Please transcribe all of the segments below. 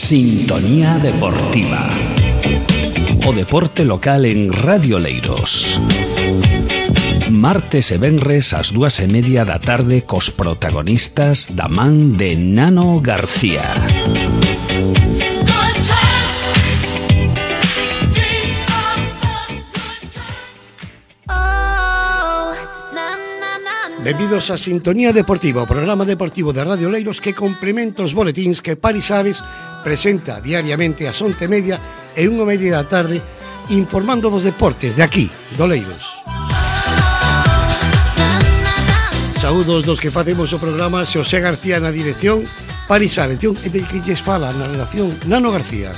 Sintonía Deportiva. O deporte local en Radio Oleiros. Martes e venres ás 2:30 da tarde cos protagonistas da man de Nano García. Benvidos a Sintonía Deportiva, o programa deportivo de Radio Oleiros que complementa os boletíns que Paris Ares presenta diariamente ás 11:30 e 1:30 da tarde, informando dos deportes de aquí, de Oleiros. Saúdos dos que facemos o programa, Xosé García na dirección, Paris Ares, e de que lles fala na redacción Nano García.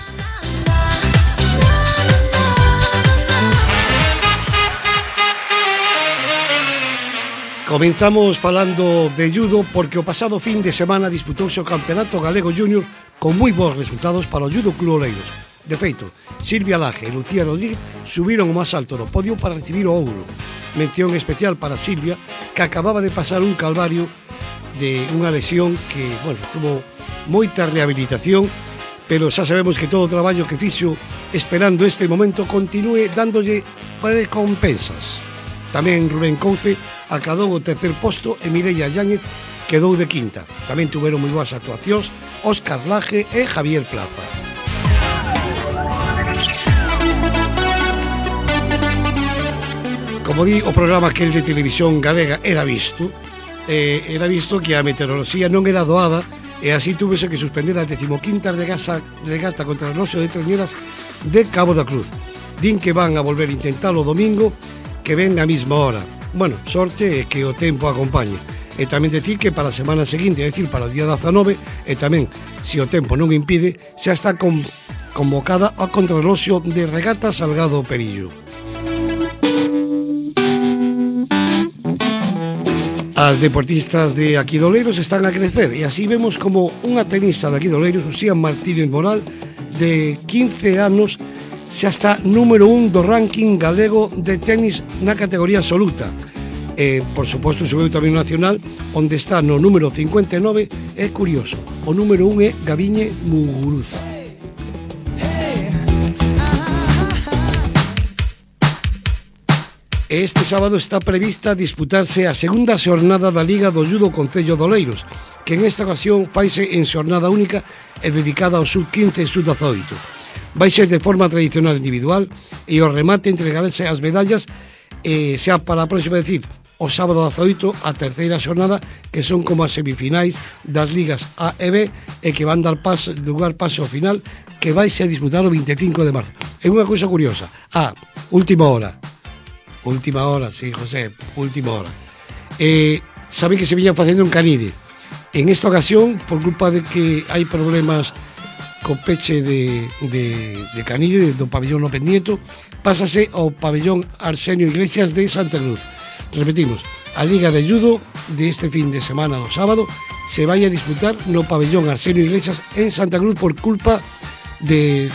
Comenzamos falando de judo porque o pasado fin de semana disputouse o Campeonato Galego Júnior con moi bons resultados para o Judo Club Oleiros. De feito, Silvia Laje e Lucía Rodríguez subiron o máis alto do podio para recibir o ouro. Mención especial para Silvia, que acababa de pasar un calvario de unha lesión que, tuvo moita rehabilitación, pero xa sabemos que todo o traballo que fixo esperando este momento continúe dándolle recompensas. Tamén Rubén Couce acadou o tercer posto e Mireia Yáñez quedou de quinta. Tamén tuveron moi boas actuacións Óscar Laje e Javier Plaza. Como di o programa aquel de televisión galega era visto que a meteoroloxía non era doada e así túvese que suspender a 15ª regata contra o Roxo de Trañeras de Cabo da Cruz. Din que van a volver a intentalo o domingo, que ven a mesma hora. Sorte é que o tempo acompañe. E tamén decir que para a semana seguinte, é dicir, para o día 19, e tamén, se o tempo non impide, xa está convocada a contrarroxo de regata Salgado Perillo. As deportistas de aquí de Oleiros están a crecer e así vemos como unha tenista de aquí de Oleiros, Uxía Martínez Moral, de 15 anos, xa está número 1 do ranking galego de tenis na categoría absoluta. Por suposto, subiu tamén o nacional, onde está no número 59, é curioso. O número 1 é Gabiñe Muguruza. Este sábado está prevista disputarse a segunda xornada da Liga do Judo Concello de Oleiros, que en esta ocasión faise en xornada única e dedicada ao sub-15 e sub-18. Vai ser de forma tradicional individual e o remate entregarase as medallas xa para a próxima, decir, o sábado 18 a terceira xornada, que son como as semifinais das ligas A e B e que van dar lugar paso ao final, que vai ser disputar o 25 de marzo. É unha cousa curiosa. Última hora, sí, José, última hora. Sabe que se viñan facendo en Canide. En esta ocasión, por culpa de que hai problemas co peche de Canide, do pabellón López Nieto, pásase ao pabellón Arsenio Iglesias de Santa Cruz. Repetimos, a Liga de Judo de este fin de semana do sábado se vai a disputar no pabellón Arsenio Iglesias en Santa Cruz por culpa de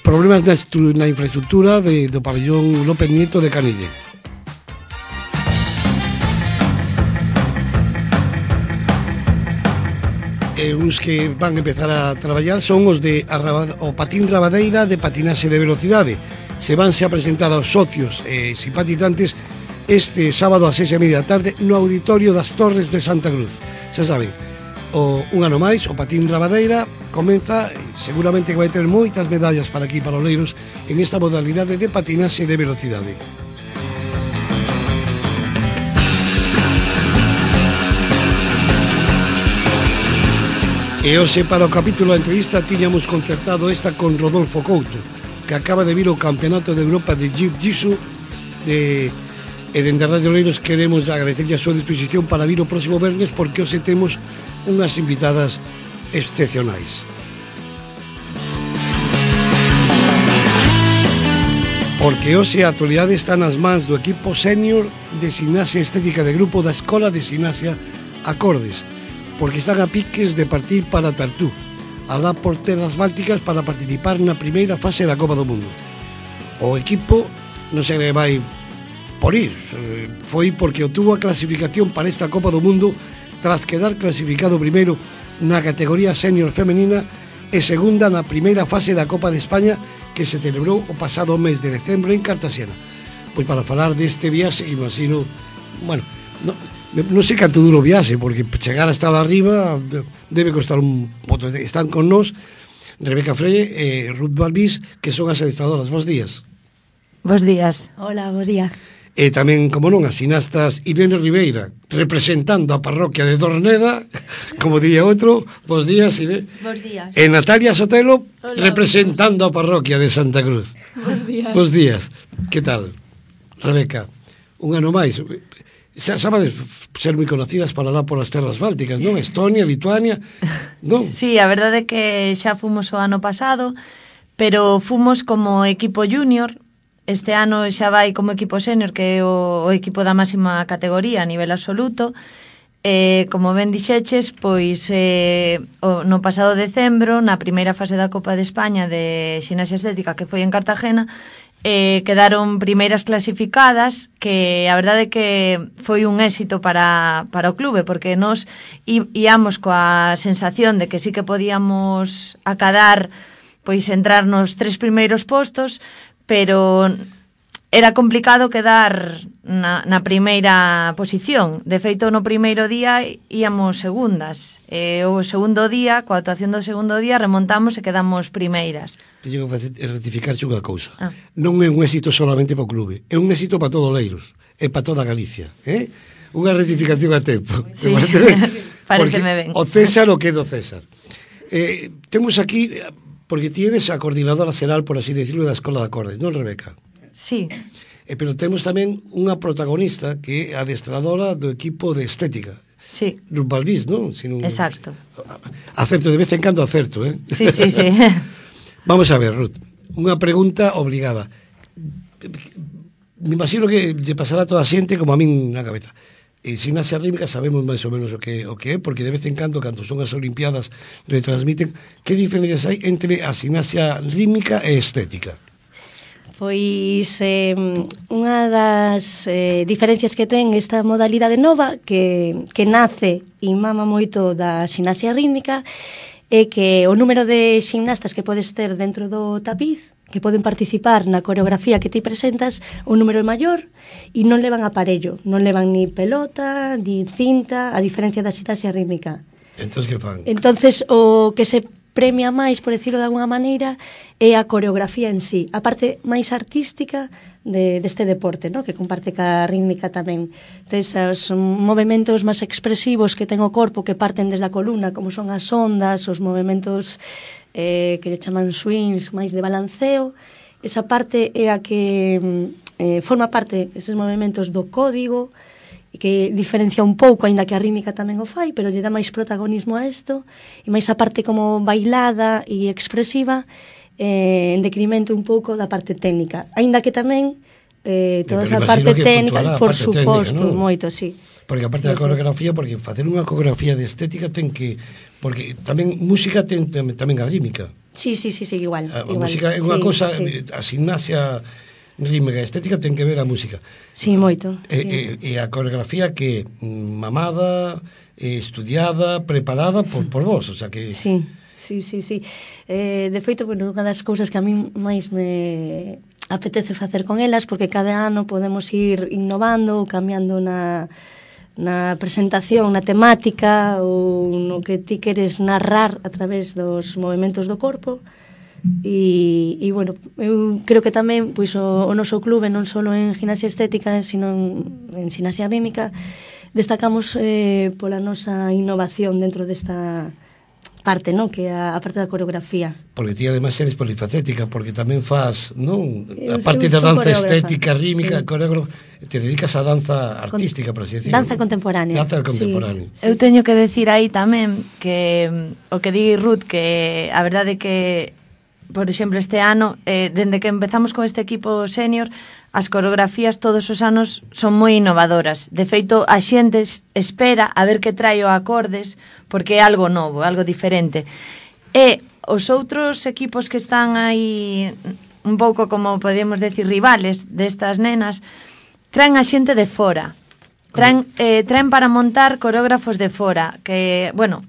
problemas na infraestructura do pabellón López Nieto de Canide. Uns que van a empezar a traballar son os de o patín rabadeira de patinaxe de velocidade. Se vanse a presentar aos socios e simpatizantes este sábado a 6:30 da tarde no Auditorio das Torres de Santa Cruz. Xa saben, un ano máis, o patín rabadeira comeza, seguramente que vai ter moitas medallas para aquí, para Oleiros, en esta modalidade de patinaxe de velocidade. E hoxe, para o capítulo da entrevista, tiñamos concertado esta con Rodolfo Couto, que acaba de vir ao Campeonato de Europa de Jiu-Jitsu e dende Radio Oleiros queremos agradecerlle a súa disposición para vir o próximo vernes, porque hoxe temos unhas invitadas excepcionais. Porque hoxe a actualidade está nas mans do equipo senior de gimnasia estética de grupo da Escola de Gimnasia Acordes, porque están a piques de partir para Tartú, alá por terras bálticas, para participar na primeira fase da Copa do Mundo. O equipo non se vai por ir, foi porque obtuvo a clasificación para esta Copa do Mundo tras quedar clasificado primeiro na categoría senior femenina e segunda na primeira fase da Copa de España que se celebrou o pasado mes de decembro en Cartagena. Pois para falar deste viaxe, que imagino, bueno, non sei canto duro o viaxe, porque chegar hasta lá arriba debe costar un pouco. Están con nós Rebeca Freire e Ruth Balbís, que son as adestradoras. Bos días. Bos días. Hola, bo día. E tamén, como non, as sinastas Irene Ribeira, representando a parroquia de Dorneda, como diría outro. Bos días, Irene. Bos días. E Natalia Sotelo, Hola, representando a parroquia de Santa Cruz. Bos días. Bos días. Que tal, Rebeca? Un ano máis. Sabades ser moi conocidas para lá por as terras bálticas, non? Estonia, Lituania, non? Sí, a verdade é que xa fomos o ano pasado, pero fomos como equipo junior. Este ano xa vai como equipo senior, que é o equipo da máxima categoría a nivel absoluto. Como ben dixeches, pois no pasado decembro, na primeira fase da Copa de España de Ximnasia Estética, que foi en Cartagena, quedaron primeiras clasificadas, que a verdade é que foi un éxito para o clube, porque nos íamos coa sensación de que sí que podíamos acadar, pois entrar nos 3 primeiros postos, pero era complicado quedar na primeira posición. De feito, no primeiro día íamos segundas. O segundo día, coa actuación do segundo día, remontamos e quedamos primeiras. Teño que rectificarse unha cousa. Non é un éxito solamente para o clube, é un éxito para todo Oleiros, é para toda Galicia. Unha rectificación a tempo. Sí, pareceme ben. O César o que é do César. Temos aquí, porque tienes a coordinadora xeral, por así decirlo, da Escola de Acordes, non, Rebeca? Sí. Pero temos tamén unha protagonista que é adestradora do equipo de estética. Sí. Ruth Balbís, non? Exacto. Acerto, de vez en cando acerto, Sí, sí, sí. Vamos a ver, Ruth, unha pregunta obligada. Me imagino que lle pasará a toda a xente como a min na cabeza. Ximnasia rítmica sabemos máis ou menos o que é, porque de vez en cando son as Olimpiadas, retransmiten. Que diferencias hai entre a ximnasia rítmica e estética? Pois unha das diferencias que ten esta modalidade nova que nace e mama moito da ximnasia rítmica é que o número de ximnastas que podes ter dentro do tapiz, que poden participar na coreografía que ti presentas, o número é maior e non levan aparello, non levan ni pelota, ni cinta, a diferencia da ximnasia rítmica. Entón, que fan? Entonces, o que se premia máis, por decirlo de alguna maneira, é a coreografía en sí, a parte máis artística deste deporte, ¿no? Que comparte ca rítmica tamén. Entonces, os movementos máis expresivos que ten o corpo, que parten desde a columna, como son as ondas, os movementos que le chaman swings, máis de balanceo, esa parte é a que forma parte, esos movementos do código, que diferencia un pouco, aínda que a rítmica tamén o fai, pero lle dá máis protagonismo a isto, e máis a parte como bailada e expresiva, en decremento un pouco da parte técnica. Aínda que tamén toda esa parte técnica, por suposto, ¿no? Moito, sí. Porque aparte da coreografía, porque facer unha coreografía de estética ten que... Porque tamén música ten tamén a rítmica. Sí, igual. A música é unha cousa, a ximnasia rítmica e estética ten que ver a música. Sí, moito. E a coreografía que mamada, estudiada, preparada por vos, o sea que... Sí. De feito, bueno, unha das cousas que a mí máis me apetece facer con elas, porque cada ano podemos ir innovando, cambiando na presentación, na temática ou no que ti queres narrar a través dos movimentos do corpo. E bueno, eu creo que tamén pois o noso clube, non só en gimnasia estética, sino en ximnasia rítmica, destacamos pola nosa innovación dentro desta parte, non? Que é a parte da coreografía. Porque ti ademais eres polifacética, porque tamén fas, non? A parte da danza estética, rítmica, sí. Coreógrafa, te dedicas a danza artística, por así decirlo. Danza contemporánea. Danza contemporánea. Sí. Eu teño que decir aí tamén que o que di Ruth, que a verdade é que, por exemplo, este ano, dende que empezamos con este equipo senior, as coreografías todos os anos son moi innovadoras. De feito, a xente espera a ver que trae o acordes, porque é algo novo, algo diferente. E os outros equipos que están aí un pouco, como podemos decir, rivales destas nenas, traen a xente de fora. Traen para montar coreógrafos de fora, que, bueno,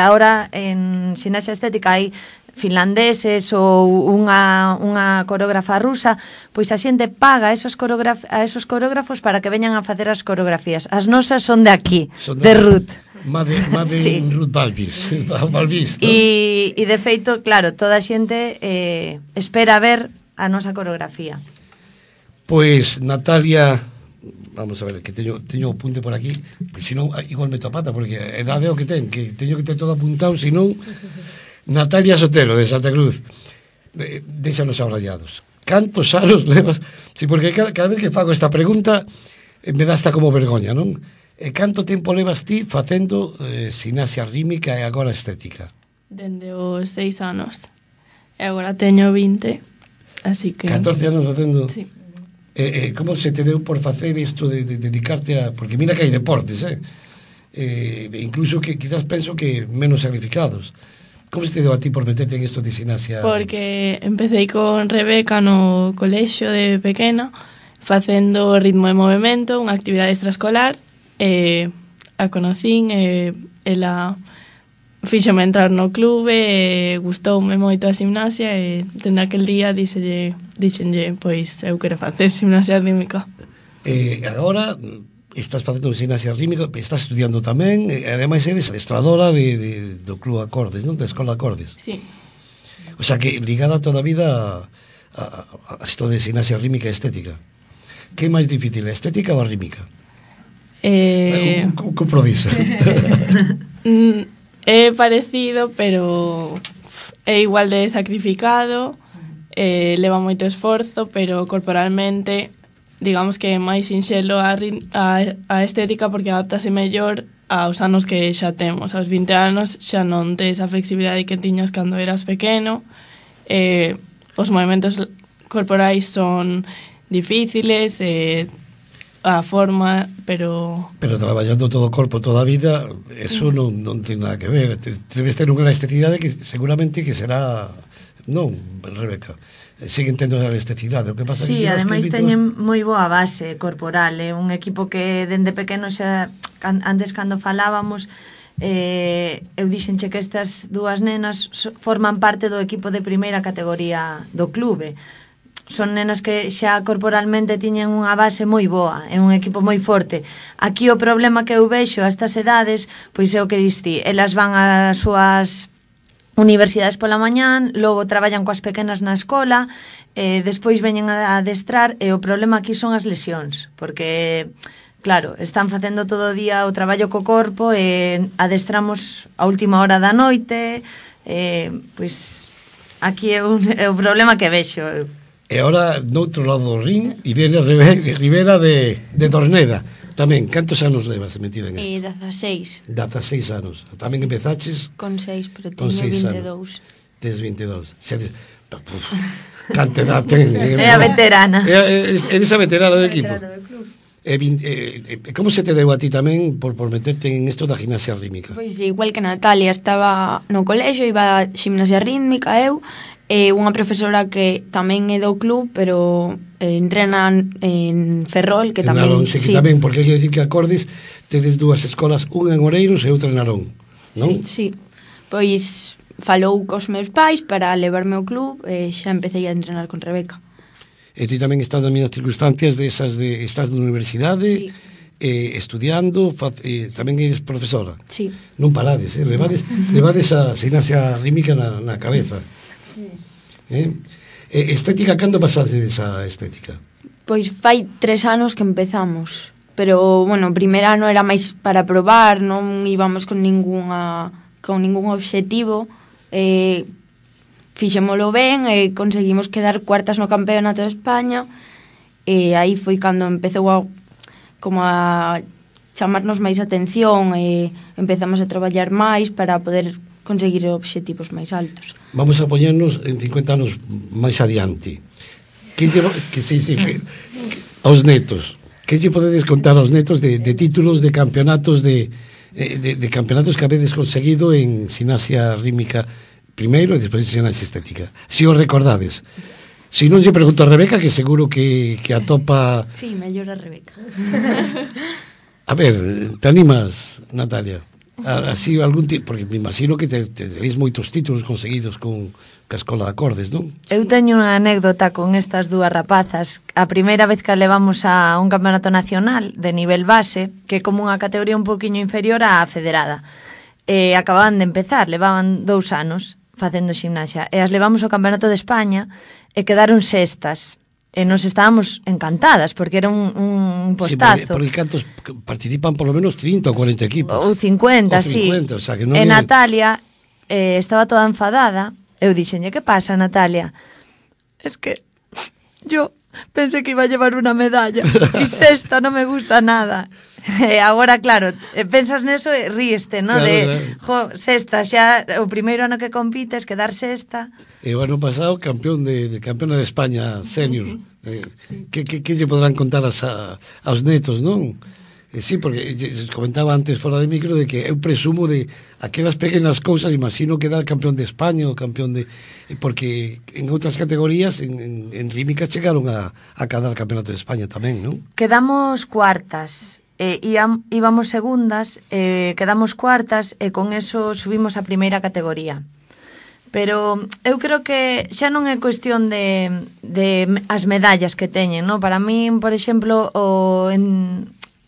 ahora en ximnasia estética hai finlandeses ou unha coreógrafa rusa, pois a xente paga a esos coreógrafos para que veñan a facer as coreografías. As nosas son de aquí, de Ruth. Made sí. Ruth Balbis, ¿no? E de feito, claro, toda a xente espera ver a nosa coreografía. Pois, Natalia, vamos a ver, que teño o punte por aquí, que senón igual meto a pata, porque a edade é o que teño que ter todo apuntado, senón... Natalia Sotelo, de Santa Cruz, déxanos abrallados. Cantos anos levas? Sí, porque cada vez que fago esta pregunta me dá hasta como vergoña, non? Canto tempo levas ti facendo gimnasia rítmica e agora estética? Dende os 6 anos. E agora teño 20, así que... 14 anos facendo? Sí. Como se te deu por facer isto de dedicarte a... Porque mira que hai deportes, incluso que quizás penso que menos sacrificados. Como se te deu a ti por meterte en isto de gimnasia? Porque empecé con Rebeca no colexio de pequena, facendo ritmo de movimento, unha actividade extraescolar, a conocín, ela fíxome entrar no clube, gustoume moito a gimnasia, e dende aquel día dixenlle, pois eu quero facer gimnasia rítmica. Agora... Estás facendo gimnasia rítmica, estás estudiando tamén, e ademais eres adestradora do Club Acordes, non? Da Escola Acordes. Sí. O sea que ligada toda a vida a esto de gimnasia rítmica e estética. Que é máis difícil, a estética ou a rítmica? Un compromiso. É parecido, pero é igual de sacrificado, leva moito esforzo, pero corporalmente... digamos que é máis sinxelo a estética porque adaptase mellor aos anos que xa temos. Aos 20 anos xa non tes a flexibilidade que tiñas cando eras pequeno, os movimentos corporais son difíciles, a forma, pero... Pero traballando todo o corpo toda a vida, eso non ten nada que ver. Debes ter unha elasticidade que seguramente que será... Non, Rebeca, siguen tendo a elasticidade. O que pasa sí, que ademais teñen moi boa base corporal, un equipo que dende pequeno xa, antes cando falábamos, eu dixenche que estas dúas nenas forman parte do equipo de primeira categoría do clube. Son nenas que xa corporalmente tiñen unha base moi boa, é un equipo moi forte. Aquí o problema que eu vexo a estas edades, pois é o que diste, elas van ás súas universidades pola mañán, logo traballan coas pequenas na escola, despois veñen a adestrar, e o problema aquí son as lesións, porque, claro, están facendo todo o día o traballo co corpo e adestramos a última hora da noite, pois aquí é o problema que vexo. E agora, noutro lado do ring, Irene Rivera de Torneda. Tamén, cantos anos levas metida en isto? 16. 16 anos. Tamén empezaches? Con 6, pero teño 22. Tes 22. Canta edad ten. É a veterana. Eres a veterana do equipo. Como se te deu a ti tamén por meterte en isto da gimnasia rítmica? Pois igual que Natalia, estaba no colexio, iba a gimnasia rítmica eu, unha profesora que tamén é do club, pero entrena en Ferrol, que tamén... Narón, sí, que tamén, porque hai que decir que Acordes tedes dúas escolas, unha en Oreiros e outra en Narón, non? Sí. Pois falou cos meus pais para levarme ao club e xa empecé a entrenar con Rebeca. E ti tamén estás nas mesmas circunstancias de esas de estás na universidade, estudiando, tamén eres profesora. Sí. Non parades, levades a gimnasia rítmica na cabeza. Sí. Estética, cando pasaste esa estética? Pois fai 3 anos que empezamos, pero, bueno, o primer ano era máis para probar, non íbamos con ningún obxectivo, fixémolo ben e conseguimos quedar cuartas no campeonato de España, e aí foi cando empezou a chamarnos máis atención e empezamos a traballar máis para poder conseguir obxectivos máis altos. Vamos a poñernos en 50 anos máis adiante. Aos netos, que lle podedes contar aos netos de títulos de campeonatos de campeonatos que habedes conseguido en gimnasia rítmica primeiro e despois en gimnasia estética? Si os recordades. Si non lle pregunto a Rebeca, que seguro que atopa... Sí, mellor a Rebeca. A ver, te animas, Natalia? Así algún tipo, porque me imagino que tenéis moitos títulos conseguidos con a Escola de Acordes, non? Eu teño unha anécdota con estas dúas rapazas. A primeira vez que levamos a un campeonato nacional de nivel base, que é como unha categoría un poquinho inferior á federada. Acababan de empezar, levaban 2 anos facendo ximnasia, e as levamos ao Campeonato de España e quedaron sextas. E nos estábamos encantadas, porque era un postazo. Sí, porque cantos participan por lo menos 30 ou 40 equipos. Ou 50, sí. O sea, que non e é... Natalia estaba toda enfadada. Eu dixenlle, que pasa, Natalia? Es que yo pensé que iba a llevar una medalla e sexta non me gusta nada. E agora, claro, pensas neso e ríeste, ¿no? Claro, jo, sexta, xa o primeiro ano que compites, quedar sexta. E o ano pasado campeona de España senior. Sí. Que lle podrán contar aos netos, non? Sí, porque comentaba antes fora de micro de que eu presumo de aquelas pequenas cousas, imagino quedar campeón de España ou campeón de... Porque en outras categorías en rítmica chegaron a cadar campeonato de España tamén, non? Quedamos cuartas. Íbamos segundas, quedamos cuartas e con eso subimos a primeira categoría. Pero eu creo que xa non é cuestión de as medallas que teñen, non? Para min, por exemplo,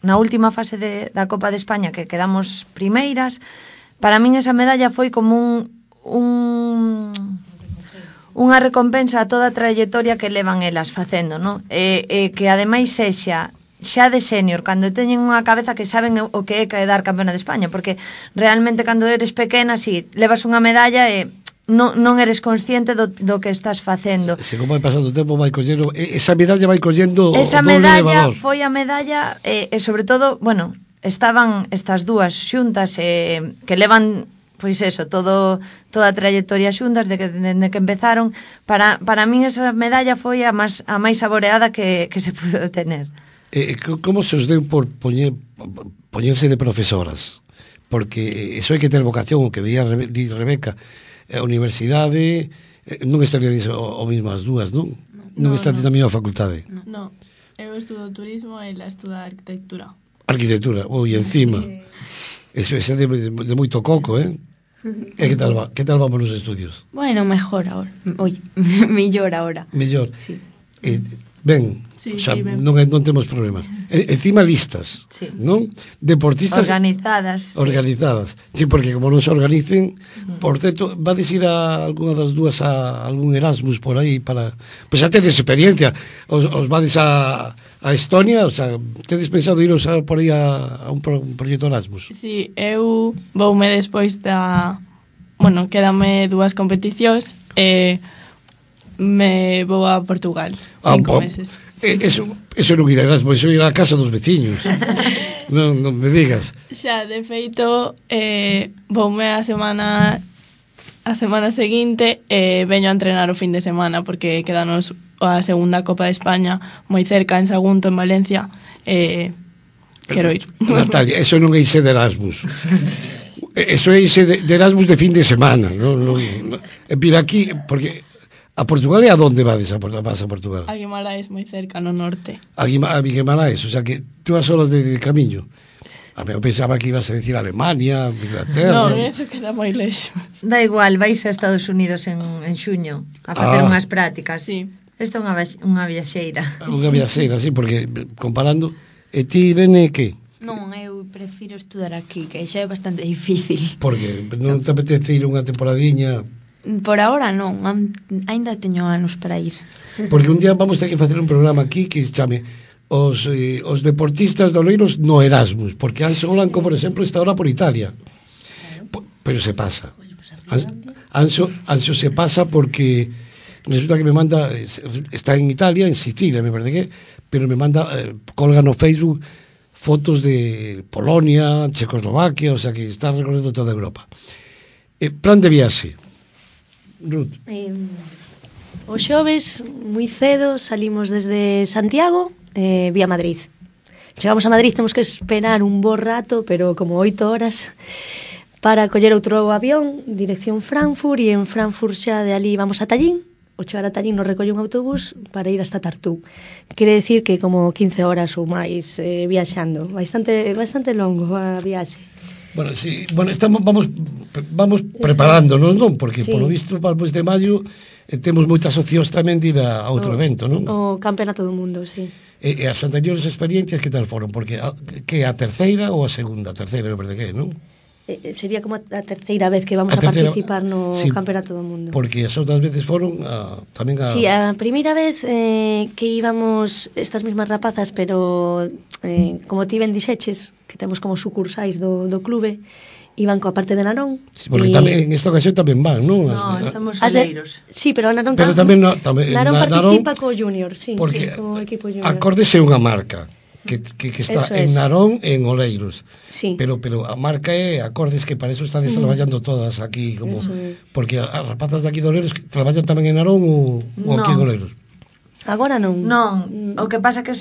na última fase da Copa de España que quedamos primeiras, para min esa medalla foi como unha recompensa a toda a trayectoria que levan elas facendo, non? E que ademais sexa xa de senior, cando teñen unha cabeza que saben o que é quedar campeona de España, porque realmente cando eres pequena, si levas unha medalla e non eres consciente do que estás facendo. Se como vai pasando o tempo vai collendo, esa medalla vai collendo esa o doble de medalla valor. Foi a medalla e sobre todo, bueno, estaban estas dúas xuntas que levan pois eso, toda a trayectoria xuntas dende que empezaron. Para min esa medalla foi a máis saboreada que se pudo tener. Como se os deu por poñerse de profesoras? Porque eso hai que ter vocación, o que di Rebeca. A universidade non estaría diso o mismo as dúas, non? Non está na mesma facultade. Non, eu estudo turismo e ela estuda arquitectura. Arquitectura, encima. Eso é de moito coco, eh? E que tal vamos nos estudios? Bueno, mejor ahora. Oye, mellor ahora. Mellor. Sí. Ben, sí, xa, ben. non temos problemas. Encima listas, sí. Non? Deportistas organizadas. Sí, porque como non se organicen, por certo, vades ir a algunha das dúas a algún Erasmus por aí para... Pois xa tedes experiencia. Os vades a Estonia, o sea, tedes pensado iros por aí a un proxecto Erasmus? Sí, eu voume despois Bueno, quédame 2 competicións e me vou a Portugal 5 meses. Eso non irá a Erasmus, eso irá a casa dos veciños. non me digas. Xa, de feito, voume a semana seguinte e veño a entrenar o fin de semana porque quedanos a segunda Copa de España moi cerca en Sagunto, en Valencia, quero ir. Natalia, eso non é ise de Erasmus. Eso é ise de Erasmus de fin de semana. Vir aquí, porque a Portugal é a donde vas a Portugal? A Guimaraes, moi cerca, no norte. A Guimaraes, o sea que 2 horas de camiño. Eu pensaba que ibas a decir Alemania, Inglaterra. Non, eso queda moi lexos. Da igual, vais a Estados Unidos en xuño a facer unhas prácticas. Sí. Esta é unha viaxeira. Unha viaxeira, sí, porque comparando... E ti, Irene, que? Non, eu prefiro estudar aquí, que xa é bastante difícil. Porque non te apetece ir unha temporadiña... Por ahora non, ainda teño anos para ir. Porque un día vamos ter que facer un programa aquí que se chame os deportistas de Oleiros no Erasmus, porque Anxo Blanco, por exemplo, está ahora por Italia. Pero se pasa. Anxo se pasa porque resulta que me manda, está en Italia, en Sicilia, me parece que, pero me manda, colga no Facebook fotos de Polonia, Checoslovaquia, o sea que está recorrendo toda Europa. Plan de viaxe. Ruth. O xoves, moi cedo, salimos desde Santiago vía Madrid. Chegamos a Madrid, temos que esperar un bo rato, pero como 8 horas, para coller outro avión, dirección Frankfurt, e en Frankfurt xa de ali vamos a Tallín. O chegar a Tallín nos recolle un autobús para ir hasta Tartú. Quere decir que como 15 horas ou máis viaxando. Bastante longo a viaxe. Bueno, sí, bueno, vamos preparándonos, non? Porque, polo visto, para o mes de maio temos moitas opcións tamén de ir a outro evento, non? O Campeonato do Mundo, sí. E as anteriores experiencias que tal foron? Porque que a terceira ou a segunda? A terceira, non perde que, non? Sería como a terceira vez que vamos a participar no Campeonato do Mundo. Porque as outras veces foron tamén a... Sí, a primeira vez que íbamos estas mismas rapazas, pero como ti ben dixeches, que temos como sucursais do clube, iban coa parte de Narón. Sí, porque tamén en esta ocasión tamén van, non? No, estamos soleiros. Sí, pero a Narón pero tamén Narón participa co Junior, sí, porque co equipo Junior. Acordes é unha marca que está en Narón e en Oleiros. Sí. Pero a marca é Acordes, que para eso están traballando todas aquí, como porque as rapazas de aquí de Oleiros traballan tamén en Narón ou aquí en Oleiros. Agora non. Non, o que pasa que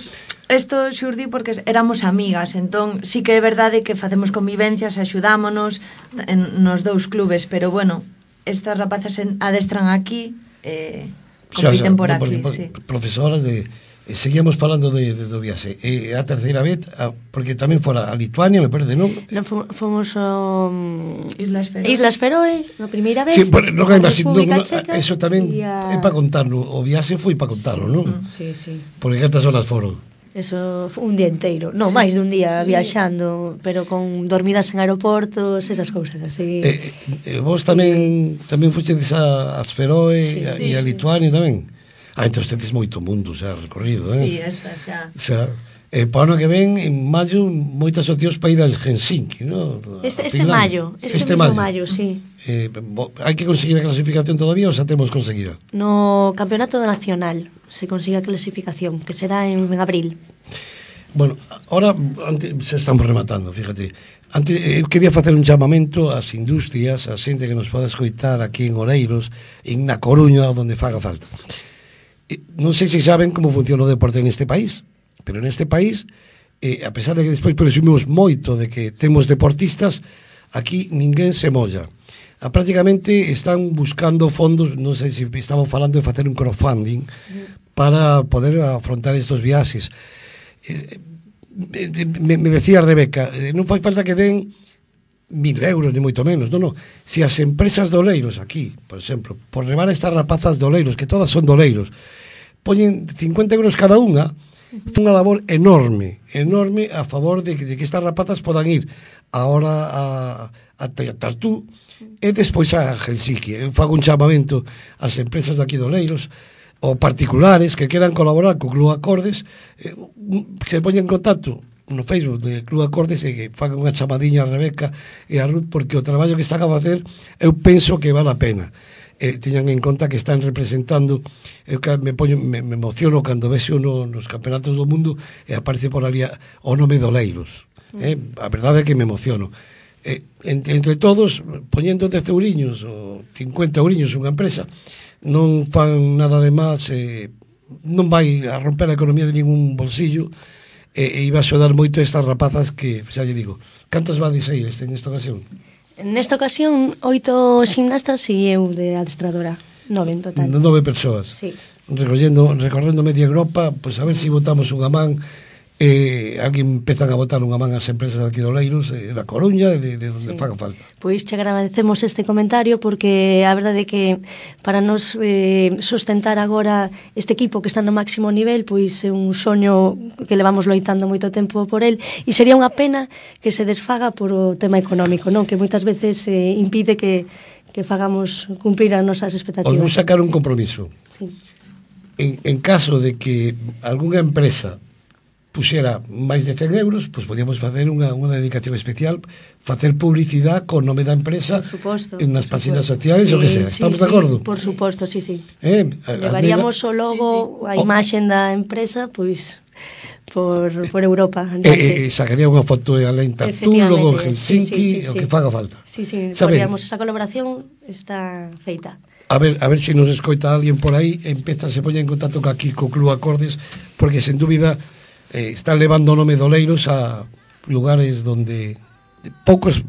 isto xurdi porque éramos amigas, entón sí que é verdade que facemos convivencias, axudámonos nos dous clubes, pero bueno, estas rapazas adestran aquí, compiten por aquí, sí. Profesoras de... Seguíamos falando do viaxe. A terceira vez, porque tamén fora a Lituania, me parece, non? Fomos a Islas Feroe, na primeira vez. Sí, non hai máis, eso tamén é para contarlo. O viaxe foi para contarlo, non? Sí, sí. Porque cantas horas foron? Eso, un día inteiro. Non, máis dun día viaxando, pero con dormidas en aeroportos, esas cousas así. Vos tamén fuxedes as Feroe e a Lituania tamén? Entón tedes moito mundo xa recorrido, Sí, esta xa. Para o ano que ven, en maio, moitas opcións para ir al Helsinki, non? Este maio, maio, sí. Hai que conseguir a clasificación todavía ou xa temos conseguida? No Campeonato Nacional se consigue a clasificación, que será en abril. Bueno, ahora se estamos rematando, fíjate. Antes, eu quería facer un chamamento ás industrias, a xente que nos poda escoitar aquí en Oleiros, na Coruña, onde faga falta. Non sei se saben como funciona o deporte neste país, pero neste país, a pesar de que despois presumimos moito de que temos deportistas, aquí ninguén se molla. Prácticamente están buscando fondos, non sei se estaban falando de facer un crowdfunding para poder afrontar estos viaxes. Me decía Rebeca, non fai falta que den 1.000 euros, ni moito menos, non. Se as empresas de Oleiros aquí, por exemplo, por levar estas rapazas de Oleiros, que todas son de Oleiros, poñen 50 euros cada unha, unha labor enorme a favor de que estas rapazas podan ir ahora a Tartú e despois a Helsinki. Eu fago un chamamento ás empresas de aquí de Oleiros ou particulares que queran colaborar co Club Acordes, se poñen en contacto no Facebook de Club Acordes e que fagan unha chamadiña a Rebeca e a Ruth, porque o traballo que están a facer eu penso que vale a pena. Teñan en conta que están representando, eu me emociono cando vexo nos campeonatos do mundo e aparece por ali o nome de Oleiros. A verdade é que me emociono. Entre todos, poñendo 10 euriños ou 50 euriños unha empresa, non fan nada de máis, non vai a romper a economía de ningún bolsillo, e iba a axudar moito estas rapazas que, xa lle digo, cantas vades a ir en esta ocasión? Nesta ocasión, 8 ximnastas e eu de adestradora, 9 en total. 9 persoas. Sí. Recorrendo media Europa, pois a ver se botamos unha man, alguén empezan a botar unha man as empresas de aquí de Oleiros, da Coruña, de onde faga falta. Pois che agradecemos este comentario, porque a verdade é que para nos sustentar agora este equipo que está no máximo nivel, pois é un soño que levamos loitando moito tempo por el, e sería unha pena que se desfaga por o tema económico, non? Que moitas veces impide que fagamos cumprir as nosas expectativas. Os vou sacar un compromiso. Sí. En caso de que algunha empresa puxera máis de 100 euros, pois podíamos facer unha dedicación especial, facer publicidade con nome da empresa en nas páxinas sociais, o que sea. Estamos de acordo? Por suposto, sí. Levaríamos o logo, a imaxen da empresa, pois por Europa. Sacaría unha foto en Tartú, logo en Helsinki, o que faga falta. Sí, podríamos, esa colaboración está feita. A ver se nos escoita alguén por aí, se poña en contacto aquí co Club Acordes, porque sen dúbida están levando o nome de Oleiros a lugares donde poucas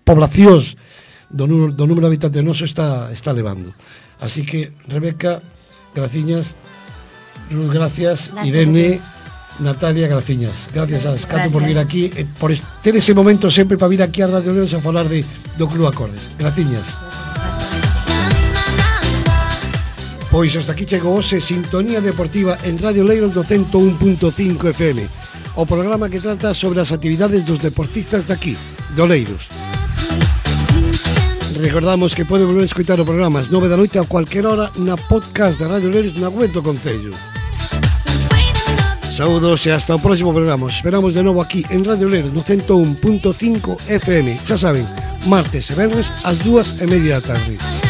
poblacións do número de habitantes noso está levando. Así que, Rebeca, graciñas, Ruth, gracias, Irene, Natalia, graciñas. Gracias a Escato por vir aquí, por ter ese momento sempre para vir aquí a Radio Leiros a falar do Club Acordes. Graciñas. Pois hasta aquí chegou hoxe Sintonía Deportiva en Radio Leiros do 101.5 FM, o programa que trata sobre as actividades dos deportistas daqui, do Leiros. Recordamos que pode volver a escoitar o programa ás 9 da noite a cualquier hora na podcast da Radio Leiros na web do Concello. Saúdos e hasta o próximo programa. Esperamos de novo aquí en Radio Leiros no 101.5 FM. Xa saben, martes e venres ás 2:30 da tarde.